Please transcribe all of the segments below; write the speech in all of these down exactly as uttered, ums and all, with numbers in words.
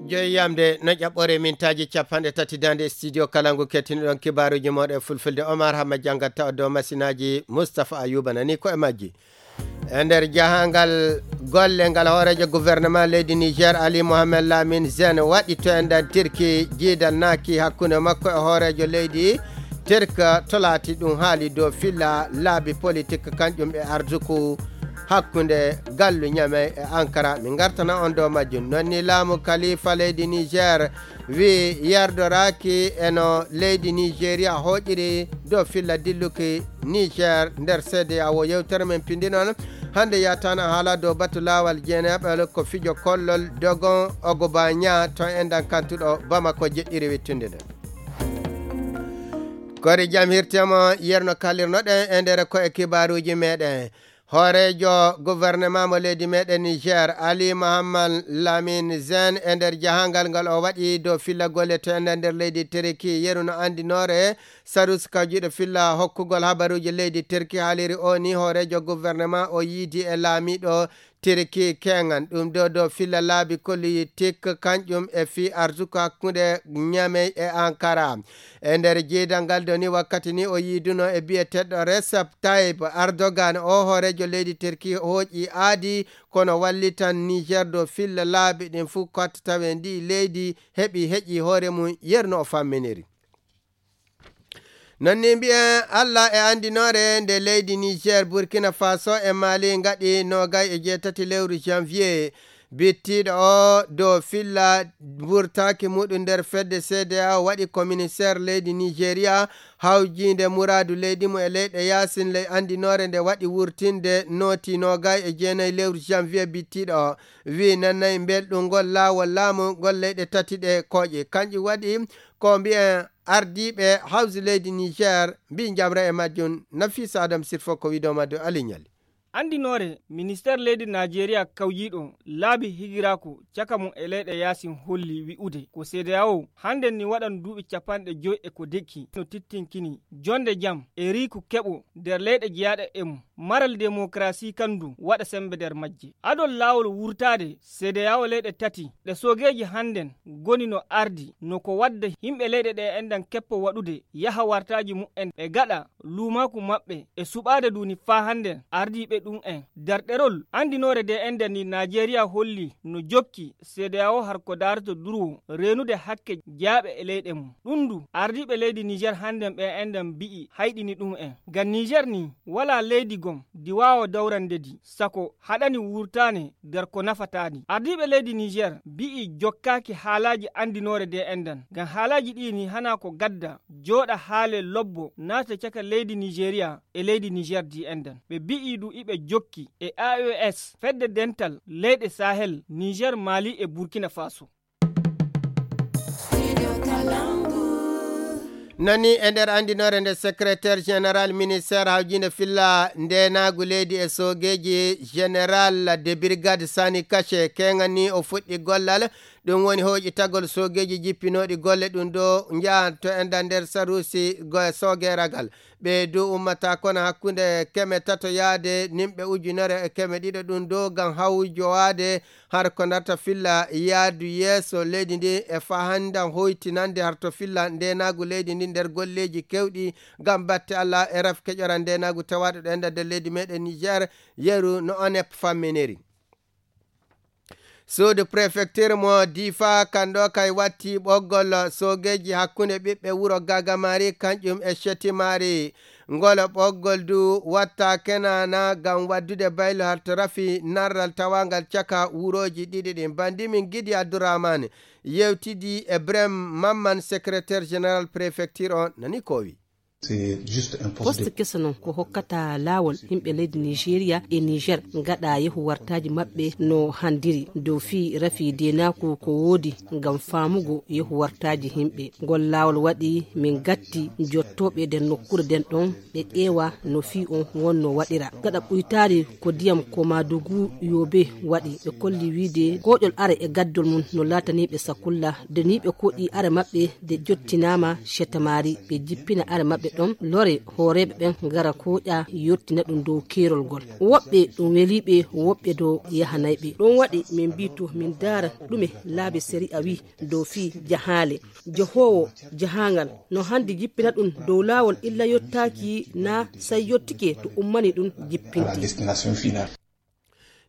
Joyi yamde no ƴaɓɓore mintaaji capanɗe tati daande studio kala ngu kettiniɗon kibaaruuji mooɗon e fulfulde. Omar Hamma janngat tawa dow masinaaji Mustapha Ayuba nani ko e majji. E nder jahangal golle ngal hooreejo gouvernement leydi Niger Ali Mohamed Lamine Zen waɗi to enɗan Tirki jiidal naaki hakkunde makko e hooreejo leydi Tirk tolaati ɗum haali dow filla laabi politik kanƴum e arduku hakkunde gallu Ñamey e Ankara. Min ngartana on dow majjum. Non ni laamu kalifa leydi Niger wi yerdoraaki e no leydi Nigeria hooƴiri dow filla dilluki Niger nder C D A O. Yewtere men pindi noon hannde yataana haala dow batu laawal jeeneeɓe ko fijo kollol dogon Ogoba Ña to enɗan kantuɗo Bamako jeɗɗiri wittunde ɗen. Kori jam hirtemo yerno kalirnoɗen e nder ko e kibaaruuji meɗen. Hooreejo gouvernement mo leydi meɗen Niger, Ali Mohamed Lamine Zen, e nder jahangal ngal o waɗi dow filla golle teenɗe nder leydi Tirki. Yeru no anndinoore, Sarus kawjiiɗo filla hokkugol habaruuji leydi Tirki haaliri o ni hooreejo gouvernement o yiidi e laamiiɗo Tirki keŋan. Ɗum ɗo dow filla laabi kolluyi tik kanƴum e fii arsuku hakkunde Ñamey e Ankara. E nder jiidal ngal do ni wakkati ni o yiiduno e biyeteɗɗo Recep Tayyip Erdogan o hooreejo leydi Tirki hooƴi aadi kono wallitan Niger dow filla laabi ɗin fuu kotta tawe ndi leydi heɓi heƴi hoore mum yerno o famminiri. Non ni mbiyen Allah e anndinoore nde leydi Niger, Burkina Faso e Mali ngaɗi noogay e jeetati lewru janvier. Bittiiɗo o dow filla wurtaaki muɗum nder fedde C D A O waɗi commissaire leydi Nigeria hawjiinde muraadu leydi mum e leyɗe yaasin ley anndinoore nde waɗi wurtinde nooti noogay e jeenayi lewru janvier. Bittiiɗo o wi nanay mbelɗum ngol laawol laamu ngol leyɗe tati ɗe kooƴe. Kanƴum waɗi ko mbiyen ardiiɓe hawsi leydi Niger mbi njamra e majjum. Nafisa Adam Sirfo ko wiɗo maddo Ali Ñali. Anndinoore ministeer leydi Najeriya kawjiiɗo laabi higiraaku caka mum e leyɗe yaasin holli wi'ude ko C D A O hannden ni waɗan duuɓi capanɗe joy e ko dekki no tittinkini jonde jam e riiku keɓo nder leyɗe jeyaaɗe e mum. Maral demokarasi kandu waɗa sembe nder majje. Adol laawol wurtaade C D A O leyɗe tati ɗe soogeeji hannden ngoni no ardi no ko wadda yimɓe leyɗe ɗe enɗan keppo waɗude yaha wartaaji mumen e gaɗa luumaaku maɓɓe e suɓaade duni faa hannden ardiiɓe ɗum en. Darɗerol anndinoore de enɗan ni Najeriya holli no jokki C D A O har ko daarata durwo reenude hakke jeyaaɓe e leyɗe mum. Ɗum ndu ardiiɓe leydi Niger hannden ɓe enɗan mbi'i hayɗini ɗum en. Ngam Niger ni walaa leydi gom ndi waawa dawrande ndi sako haɗani wurtaane nder ko nafataa ndi. Ardiiɓe leydi Niger mbi'i jokkaaki haalaaji anndinoore de enɗan. Ngam haalaaji ɗi ni hanaa ko gadda jooɗa haale lobbo naata caka leydi Nigeria e leydi Niger di enɗan. Ɓe mbi'i du iɓe jokki e A E S fedde dental leyɗe Sahel, Niger, Mali e Burkina Faso. Nani e nder anndinoore nde secrétaire général ministère hawjinde filla ndenaagu leydi e soogeeji général de brigade Sani Kache keŋani o fuɗɗi gollal. Ɗum woni hooƴitagol soogeeji jippinooɗi golle ɗum ɗo njahan to enɗan nder saruusi go- soogeeragal. Ɓe dow ummata kono hakkunde keme tato yaade nimɓe ujunere e keme ɗiɗo ɗum dow ngam hawjowaade har ko darta filla yaadu yeeso leydi ndi e fahandan hoytinande har to filla ndenaagu leydi ndi nder golleeji kewɗi ngam batte Allah e raf keƴoran ndenaagu tawaaɗo ɗo e nder leydi meɗen Niger. Yeru no onep famminiri. Suudu prefecture mo Difa kanɗo kay watti ɓoggol soogeeji hakkunde ɓiɓɓe wuro Gagamari kanƴum e Shetimari. Ngol ɓoggol du watta kenana ngam waddude baylo har to rafi narral tawangal caka wurooji ɗiɗi ɗin. Bandi min Gidi Abdourahmane yewtidi e Brem Mamman, secrétaire général prefecture on nani ko wi. Poste keso noon ko hokkata laawol yimɓe leydi Nigeria e Niger ngaɗa yehu wartaaji maɓɓe no handiri dow fii rafi deenaaku ko woodi ngam faamugo yehu wartaaji yimɓe. Ngol laawol waɗi min gatti jottooɓe nder nokkuure nden ɗon ɓe ƴeewa no fii on wonno waɗira. Gaɗa ɓuytaari ko ndiyam Komadugu Yobe waɗi, ɓe kolli wiide kooƴol are e gaddol mum no laatanii ɓe sakulla, de ni ɓe koɗi are maɓɓe de jottinaama Shetamari, ɓe jippina are maɓɓe Ɗon lore hooreeɓe ɓen ngara kooƴa yottina ɗum dow keerol ngol. Woɓɓe ɗum welii ɓe, woɓɓe dow yahanay ɓe. Ɗum waɗi min mbii to min ndaara ɗume laabi sariya wii dow fii jahaale. Jahoowo jahaangal no handi jippina ɗum dow laawol illa yottaaki naa say yottike to ummani ɗum jippinde.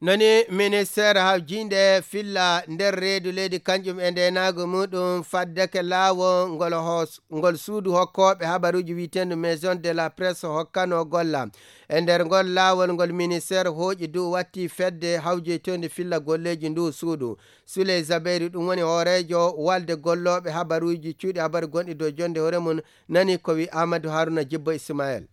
Noni ministeer hawjiinde filla nder reedu leydi kanƴum e ndeenaagu muɗum faddeke laawol ngol hoos-, ngol suudu hokkooɓe habaruuji wiyeteendu Maison de la Presse hokkano golla. E nder ngol laawol ngol ministeer hooƴi du watti fedde hawjeytoonde filla golleeji ndu suudu. Suley Zabeyru ɗum woni hooreejo walde gollooɓe habaruuji cuuɗi habaru gonɗi dow jonde hoore mum nani ko wi Amadou Haruna Jibbo Ismaël.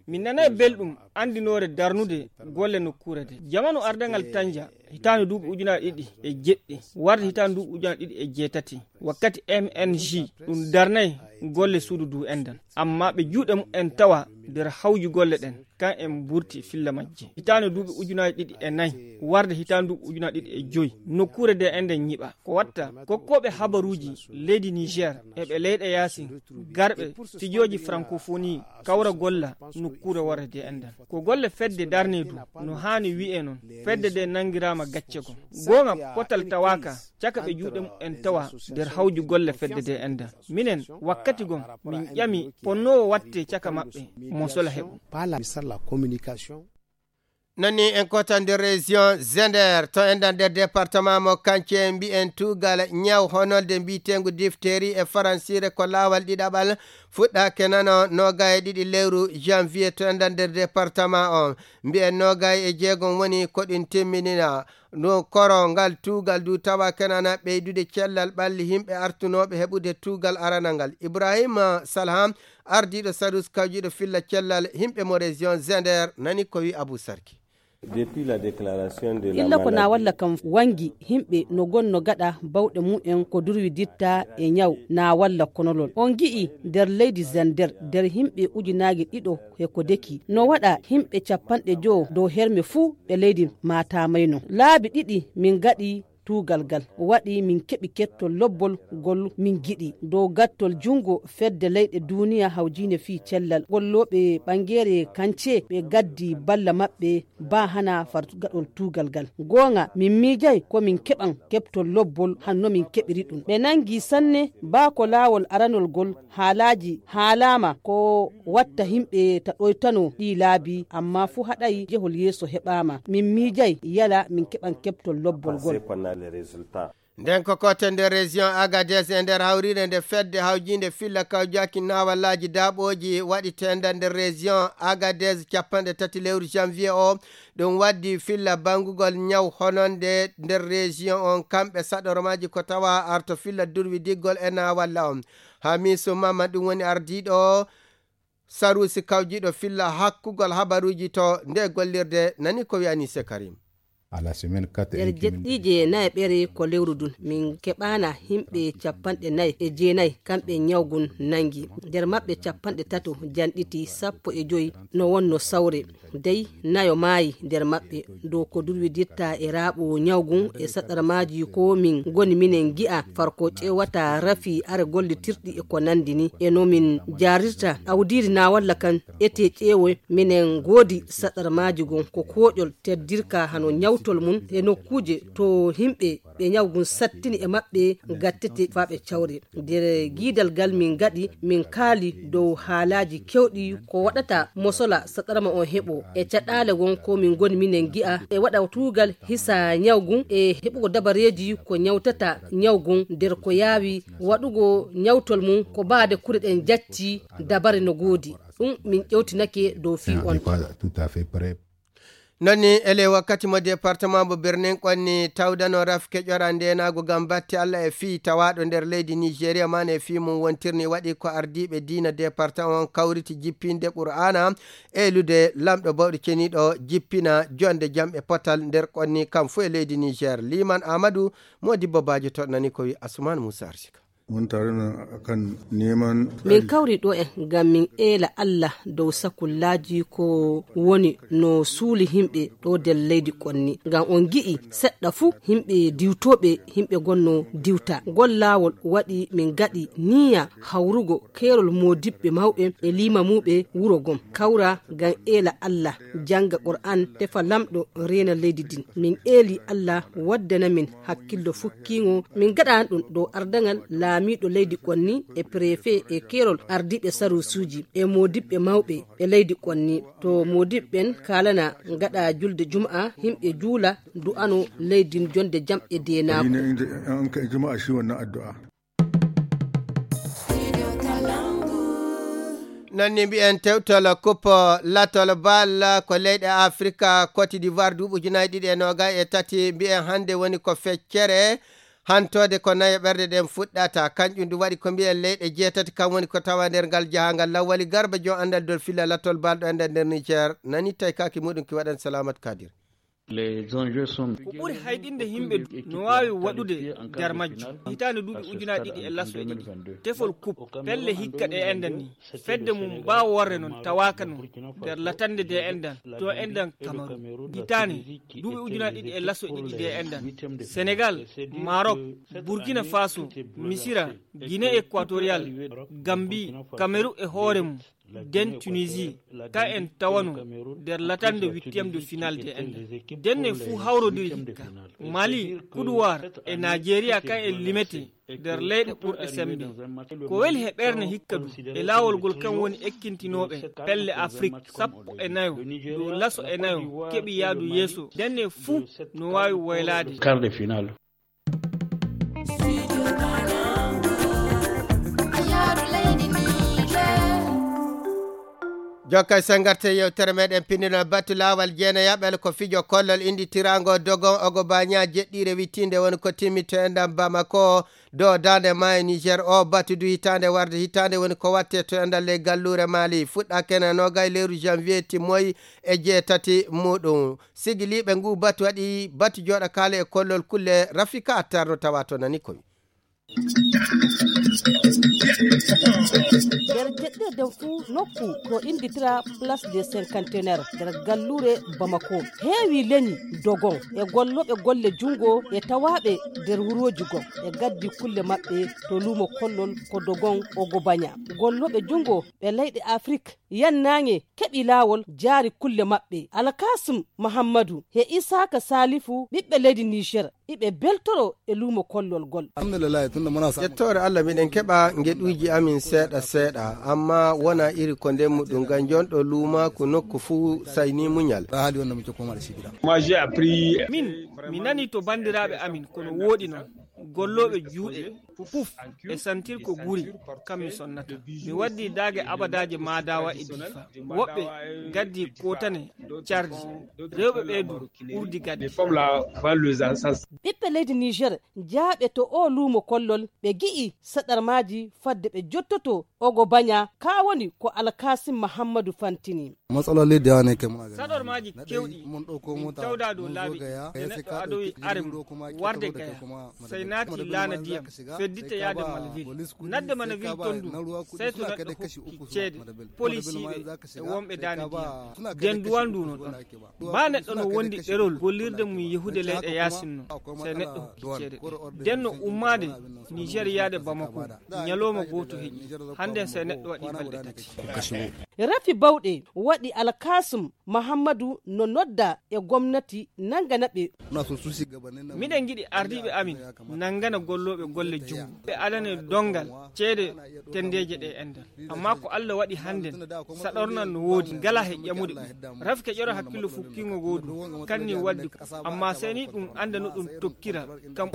Min nanay belɗum anndinoore darnude golle nokkuure de. Jamanu ardangal Tanja, hitaande duuɓi ujunaaji ɗiɗi e jeɗɗi, warde hitaande duuɓi ujunaaji ɗiɗi e jeetati, wakkati M N G ɗum darnay golle suudu du endan. Amma ɓe juuɗe mumen tawa nder hawju golle ɗen, kan en mburti filla majje. Hitaande duuɓi ujunaaji ɗiɗi e nayi, warde hitaande duuɓi ujunaaji ɗiɗi e joyi, nokkuure de enden ñiɓa. Ko watta, kokkooɓe habaruuji leydi Niger e ɓe leyɗe yaasin, garɓe fijooji francophonie, kawra golla nokkuure warde de endan. Ko golle fedde darnee du, no haani wi'e non, fedde de nangiraama gacce gom. Goonga potal tawaaka, caka ɓe juuɗe mumen tawa nder hawju golle fedde de endan. Minen, wakkati gom, min ƴami ponnoowo watte caka maɓɓe, mo sola heɓu. Nani en kota nder région Zender, to endan nder département mo Kance mbi'en tuugal ñaw honolde mbiyeteengu diphtérie e faransire ko laawal ɗiɗaɓal fuɗɗaake nano noga e ɗiɗi lewru janvier to endan nder département on. Mbi'en noga e jeegom woni ko ɗin timminina. No koro ngal tuugal du tawa kenana ɓeydude cellal ɓalli yimɓe artunooɓe heɓude tuugal aranal ngal. Ibrahima Salham, ardiiɗo Sarus kawjiiɗo filla cellal yimɓe mo région Zender, nani ko wi Abou Sarki. Illa ko na walla kam wangi yimɓe no gonno gaɗa bawɗe mumen ko durwi ditta e ñaw na walla konolol. On gi'i nder leydi Zender nder yimɓe ujunaaji ɗiɗo e ko deki. No waɗa yimɓe capanɗe jowo dow herme fuu ɓe leydi maatamayno. Laabi ɗiɗi min gaɗi tuugal ngal. Waɗi min keɓi kettol lobbol ngol min giɗi. Dow gattol junngo fedde leyɗe duuniya hawjiinde fii cellal. Gollooɓe ɓanngeere kance ɓe gaddi balla maɓɓe baa hana far gaɗol tuugal ngal. Goonga, min miijay ko min keɓan keɓtol lobbol hanno min keɓiri ɗum. Ɓe nanngi sanne baa ko laawol aranol ngol haalaaji haalaama ko watta yimɓe ta ɗoytano ɗii laabi, amma fuu haɗay jehol yeeso heɓaama. Min miijay yala min keɓan keɓtol lobbol ngol. Nden ko kote nder région Agadez e nder hawriire nde fedde hawjiinde filla kawjaki naawallaaji daaɓooji waɗi tenda nder région Agadez capanɗe tati lewru janvier o. Ɗum waddi filla banngugol ñaw hononde nder région on kamɓe saɗormaaji ko tawa arto filla durwi diggol e naawalla on. Hamisu Mama ɗum woni ardiiɗo Saruusi kawjiiɗo filla hakkugol habaruuji to nde gollirde nani ko wi'ani Sekarim. Nder jeɗɗiije nayi ɓere ko lewru ndun, min keɓaana yimɓe capanɗe nayi e jeenayi kamɓe ñawgun nangi. Nder maɓɓe capanɗe tato janɗiti, sappo e joyi no wonno sawre. Dey nayo maayi nder maɓɓe. Dow ko durwiditta e raaɓo ñawgun e saɗarmaaji ko min ngoni minen gi'a farko ƴeewata rafi are gollitirɗi e ko nandi ni. E no min jaarirta awdiiri na walla kan ete ƴeewo minen ngoodi saɗarmaaji gon ko kooƴol teddirka hano ñawtol mum e nokkuuje to yimɓe ɓe ñawgun sattini e maɓɓe gattete faa ɓe cawre. Nder giidal gal min ngaɗi, min kaali dow haalaaji kewɗi ko waɗata mosola saɗarma on heɓo. E caɗaale won ko min ngoni minen ngi'a e waɗa tuugal hisa ñawgun e heɓugo dabareeji ko ñawtata ñawgun nder ko yaawi waɗugo ñawtol mum ko baade kure ɗen jacci dabare no goodi. Ɗum min ƴewtinake dow fii on. Nonni ele wakkati mo département mo Birnin Konni tawdano rafke ƴora ndenaagu ngam batte Allah e fii tawaaɗo nder leydi Nigeria man e fii mum wontirni waɗi ko ardiiɓe diina département on kawriti jippinde Qur'aana e lude lamɗo bawɗo ceniiɗo jippina jonde jam e potal nder Konni kam fuu e leydi Niger. Liman Amadou, Modibbo Bajo toɗnani ko wi Asuman Musa Arsika. Mun tare na akan neman Min kawri ɗo en ngam min eela Allah dow sakullaaji ko woni no suuli himɓe ɗo nder leydi konni. Ngam on ngi'i seɗɗa fuu himɓe diwtooɓe, himɓe gonno diwta. Ngol laawol waɗi min ngaɗi niya hawrugo keerol moodiɓɓe mawɓe e limamuɓe wuro gom. Kawra ngam eela Allah, janga Qur'an, tefa lamɗo reena leydi din. Min eeli Allah waddana min hakkillo fukkiŋo, min ngaɗan ɗum dow ardaŋal laamiiɗo leydi konni e prefe e keerol ardiiɓe saruusuuji e moodiɓɓe mawɓe e leydi konni. To moodiɓɓe ɓen kaalana ngaɗa julde juma'a, himɓe juula, du'ano leydi jonde jam e deenaaku. Ina inda an kai juma'a shi wannan addu'a. Noon ni mbiyen tewtol coupe latol bal ko leyɗe Afrika, Côte d'Ivoire duuɓi ujunaaji ɗiɗi e noogay e tati, mbiyen hannde woni ko feccere hantoode ko nayo ɓerde ɗen fuɗɗata. Kanƴum du waɗi ko mbiyen leyɗe jeetati, kam woni ko tawa nder ngal jahangal. Lawwali Garba, jom anndal dol filla latol bal ɗo ender nder Niger, nani taykaki muɗum ki waɗan Salamat Kadir. Ko ɓuri hayɗinde yimɓe du no waawi waɗude nder majjum. Hitaande duuɓi ujunaaji ɗiɗi e laso e ɗiɗi, tefol kup pelle hikka ɗe enɗan ni, fedde mum mbaaworre noon tawaaka noon nder latande de enɗan to enɗan Kamaru. Hitaande duuɓi ujunaaji ɗiɗi e laso e ɗiɗi de enɗan, Senegal, Marok, Burkina Faso, Misira, Guinée Équatoriale, Gambie, Kameru e hoore mum, den Tunisie, ka en tawano nder latande huitième de finale de enɗan. Denne fuu hawrodiri hikka. Mali, Kuduwar e Nigeria, ka en limete nder leyɗe ɓurɗe sembe. Ko weli he ɓerne hikka du e laawol ngol, kan woni ekkintinooɓe pelle Afrik sappo e nayo dow laso e nayo keɓi yaadu yeeso. Denne fuu no waawi woylaade. Quart de finale. Jokka e sengarte yewtere meɗen pinndinol batu laawal jeenayaɓel ko fijo kollol inditirango dogon ogo baña jeɗɗire wittinde woni ko timmi to enɗan Bamako do dande maayo Niger. O batu du hitaande warde hitaande woni ko watte to enɗan ley galluure Mali. Fuɗɗa kena nogay lewru janvier timmoyi e jeetati muɗum. Sigiliiɓe ngu batu waɗi batu jooɗa kaale e kollol kulle Rafika Attar no tawa to nani koy. Nder jeɗɗirde fuu nokku ko innditira Place des Cinquantenaires nder galluure Bamako, heewi leñi dogon e gollooɓe golle junngo e tawaaɓe nder wurooji gom e gaddi kulle maɓɓe to luumo kollol ko dogon ogo baña. Gollooɓe junngo ɓe leyɗe Afrik yannaange keɓi laawol jaari kulle maɓɓe. Alkasum Mahammadu he Isaaka Saalifu ɓiɓɓe leydi Niger iɓe beltoro e luumo kollol gol. Ƴettoore Allah miɗen keɓa ngeɗuuji amin seeɗa seeɗa, amma wona iri ko ndemmu ɗum ngam jonɗo luuma ko nokku fuu sayni muñal. Min mi nani to banndiraaɓe amin kono wooɗi noon gollooɓe juuɗe puf e santir ko guri kam mi sonnata. Mi waddi daage abadaaje maadawa e difa, woɓɓe gaddi kotane cardi, rewɓe ɓee du urdi gaddi. Ɓiɓɓe leydi Niger jaaɓe to o luumo kollol ɓe gi'i saɗarmaaji fadde ɓe jottoto ogo baña. Ka woni ko Alkasim Mahammadu fantini. Matsaloli da yawa ne kai muna gani. Saɗormaaji kewɗi min tawda dow laabi e neɗɗo adowi arem warde gaya, sey naati laana diyam, feddita yaade Malville. Nadde Manaville ton du sey to neɗɗo hokki ceede polisiiɓe e wonɓe daane diyam. Den duwal ndu no ɗon. Ba neɗɗo no wondi ɗerol gollirde mum yehude leyɗe yaasin non, sey neɗɗo hokki ceede ɗe. Den no ummaade Niger yaade Bamako, ñalooma gooto heƴi. Hannde sey neɗɗo waɗi balɗe tati. Rafi Bawɗe waɗi Alkasum Mahammadu no nodda e gomnati nangana ɓe. Miɗen ngiɗi ardiiɓe amin nangana gollooɓe golle junngo ɓe adane donngal ceede tenndeeje ɗe enɗan. Amma ko Allah waɗi hannden saɗornan no woodi, ngala he ƴamude ɗum. Rafi keƴoro hakkillo fukkiingo goodu kanni waddi ko, amma sey ni ɗum annda no ɗum tokkira kam.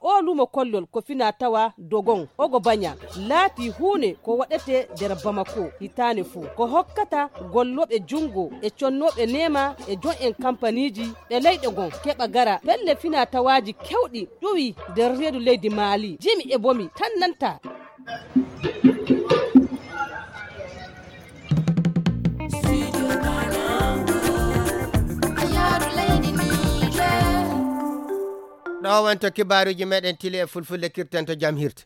O luumo kollol ko fina tawa dogon ogo baña laati huune ko waɗete nder Bamako hitaane fuu, ko hokkata gollooɓe junngo e connooɓe neema e jon'en kampaniiji ɓe leyɗe gon keɓa gara pelle fina tawaaji kewɗi ƴuwi nder reedu leydi Maali. Jimi e bomi tan nanta. Ɗo Owen to kibaaruuji meɗen tili e fulfulde kirten to jam hirte.